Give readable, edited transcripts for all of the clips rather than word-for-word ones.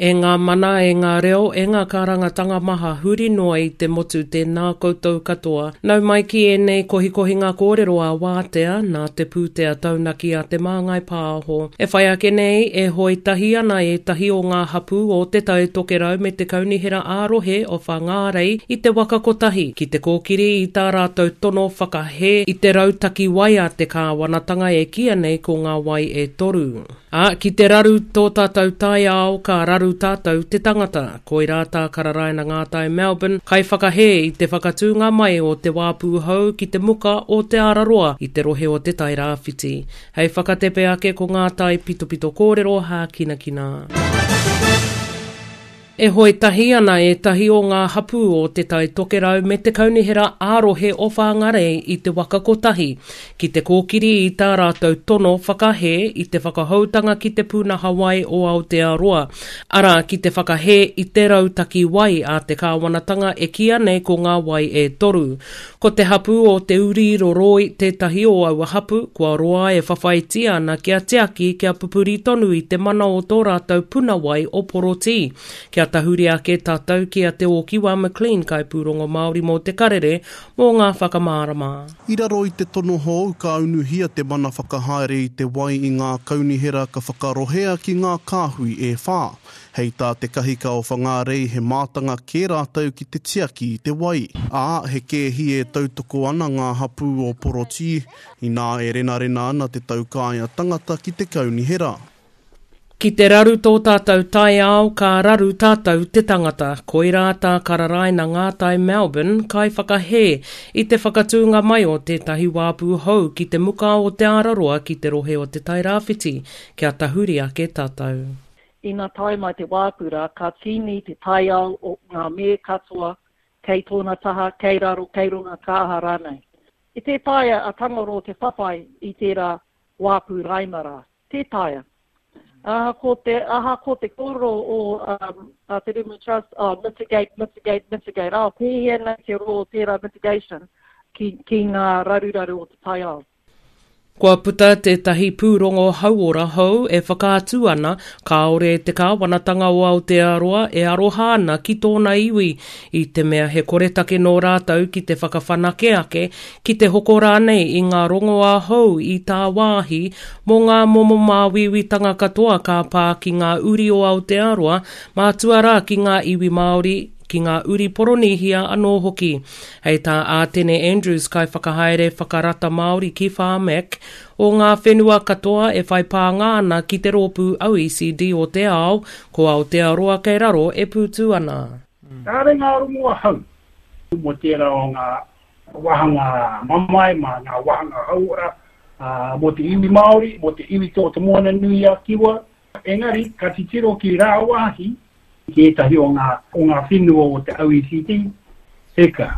E ngā mana, e ngā reo, e ngā kārangatanga maha huri noa i te motu tēnā koutou katoa. Nau mai ki ēnei kohikohinga kōrero a Wātea, nā te pūtea taunaki a Te Māngai Pāho. E whai ake nei, e hoe tahi ana ētahi o ngā hapū o Te Tai Tokerau me te Kaunihera ā-Rohe o Whangārei i te waka kotahi ki te kōkiri i tā rātou tono whakahē i te rautaki wai a te kāwanatanga e kīia nei ko Ngā Wai e Toru. Ā, ki te raru tō tātou taiao, ka raru tātou te tangata. Koirā tā Kararaina Ngātai Melbourne, kaiwhakahē i te whakatūnga mai o te wāpū hou ki te muka o Te Araroa i te rohe o Te Tairāwhiti. Hei whakatepe ake ko ngā taipitopito kōrero hākinakina. E hoe tahi ana ētahi o ngā hapū o Te Tai Tokerau me te Kaunihera ā-Rohe o Whangarei i te waka kotahi ki te kōkiri i tā rātou tono whakahē i te whakahoutanga ki te pūnaha wai o Aotearoa, arā, ki te whakahē i te rautaki wai a te kāwanatanga e kīia nei ko Ngā Wai e Toru. Ko te hapū o Te Uri Roroi tētahi o aua hapū, kua roa e whawhaitia ana kia tiaki, kia pupuri tonu i te mana o tō rātou puna wai o Porotī. Kia tahuri ake tātou ki a Te Ōkiwa McLean, kaipūrongo Māori mō Te Karere, mō ngā whakamārama. I raro i te tono hou ka unuhia te mana whakahaere i te wai i ngā kaunihera ka whakarohea ki ngā kāhui e whā. Hei tā te kahika o Whangārei he mātanga kē rātou ki te tiaki i te wai. Ā, he kēhi e tautoko ana ngā hapū o Porotī, inā e renarena ana te taukaea tangata ki te kaunihera. Ki te raru tō tātou taiao, ka raru tātou te tangata. Koirā tā Kararaina Ngātai Melbourne, kaiwhakahē i te whakatūnga mai o tētahi wāpū hou ki te muka o Te Araroa ki te rohe o Te Tairāwhiti, kia tahuri ake tātou. Ina tae mai te wāpura, ka tīni te taiao o ngā me katoa kei tōna taha, kei raro, kei runga, ka aha rānei. E tē taea a Tangaroa te whawhai i tērā wāpu raima rā. Tē taea. Ahakoa te, ahakoa te kōrero o um, a Te Rimu Trust, oh, mitigate, mitigate, mitigate, oh, pēhea nei te roa o tērā mitigation ki, ki ngā raruraru o te taiao. Kua puta tētahi pūrongo hauora hou e whakaatu ana kāore te kāwanatanga o Aotearoa e aroha ana ki tōna iwi, i te mea he koretake nō rātou ki te whakawhanake ake, ki te hoko rānei i ngā rongoā hou i tāwāhi mō ngā momo māuiuitanga katoa ka pā ki ngā uri o Aotearoa, mātua rā ki ngā iwi Māori, ki ngā uri Poronīhia anō hoki. Hei tā Ātene Andrews, Kaiwhakahaere Whakarata Māori ki Pharmac, o ngā whenua katoa e whai pānga ana ki te rōpū OECD o te ao, ko Aotearoa kei raro e pūtū ana. Kāre ngā rongoa hau mō tērā o ngā wāhanga mamae, mā ngā wāhanga hauora, mō te iwi Māori, mō te iwi tō Te Moana-nui-a-Kiwa, Engari, ka titiro ki rāwāhi, ki ētahi o ngā, o ngā whenua o te OECD, eka,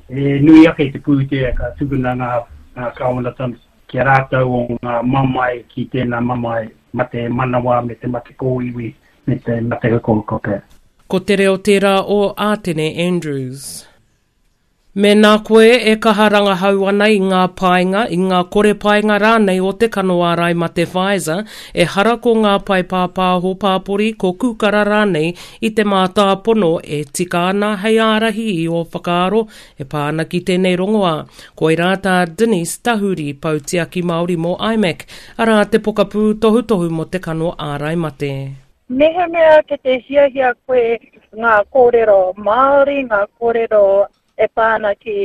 he nui ake te pūtea ka tukuna ngā, ngā kāwanatanga ki a rātou o ngā mamae ki tēnā mamae mate manawa me te mate kōiwi me te mate hukohuko pea. Ko te reo tērā o Ātene Andrews. Mēnā koe e kaha rangahau ana i ngā painga, i ngā kore painga rānei o te kano ārai mate Pfizer, ehara ko ngā pae pāpāho pāpori, ko Kūkara rānei i te mātāpono e tika ana hei ārahi i ō whakaaro e pā ana ki tēnei rongoā. Koirā tā Denise Tahuri, Pou Tiaki Māori mō IMAC, arā te pokapū tohutohu mō te kano ārai mate. Mehemea ki te hiahia koe ngā kōrero Māori, ngā kōrero e pā ana ki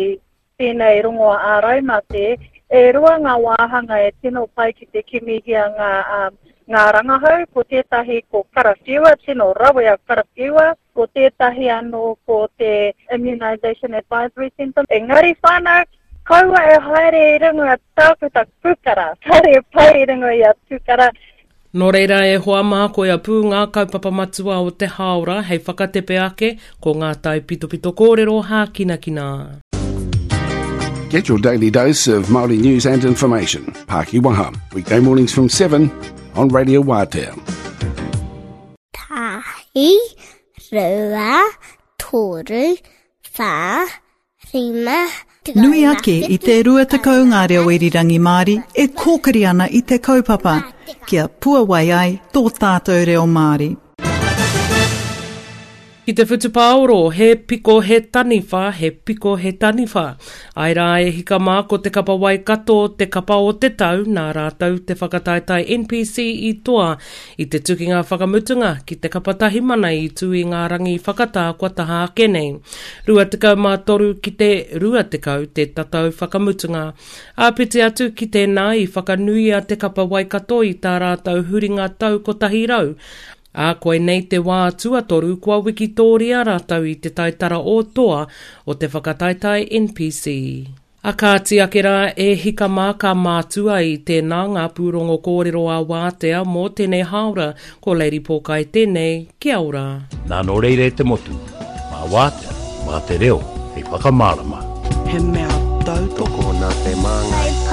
tēnei rongoa āraimate, e rua ngā wāhanga e tino pai ki te kimihia ngā, um, ngā rangahau, ko tētahi ko Karawhiua, tino rawe a Karawhiua, ko tētahi anō ko te Immunisation Advisory Centre. Engari whānau, kaua e haere i runga tākuta kūkara, kāre e pai i runga i a tūkara, Nō reira e hoa mā koia pū ngā kaupapa matua o te hāora hei whakatepe ake ko ngā taipitopito kōrero hākinakina. Get your daily dose of Māori news and information. Pāki Waha, weekday mornings from 7 on Radio Wātea. Tahi, rua, toru, whā, Nui ake i te 20 ngā reo irirangi Māori e kōkiri ana i te kaupapa kia puawai ai tō tātou reo Māori. Ki te whutupaoro, he piko he taniwha, he piko he taniwha. Ae rā e hika mā ko te kapa Waikato te kapa o te tau nā rātou te whakataetae NPC i toa i te tukinga whakamutunga ki te kapa Tahimana i tū i ngā rangi whakatā kua taha ake nei. 23 ki te 20 te tatau whakamutunga. Āpiti atu ki tēnā i whakanuia te kapa Waikato i tā rātou huringa tau 100, Ā, koinei te wā tuatoru kua wikitōria rātou i te taitara o toa o te whakataetae NPC. A kāti ake rā e hika mā ka mātua i tēnā ngā pūrongo kōrero a Wātea mō tēnei hāora, ko Lady Pōkai tēnei, kia ora. Nā nō reira e te motu, mā Wātea, mā te reo hei whakamārama. He mea tautoko nā Te Māngai.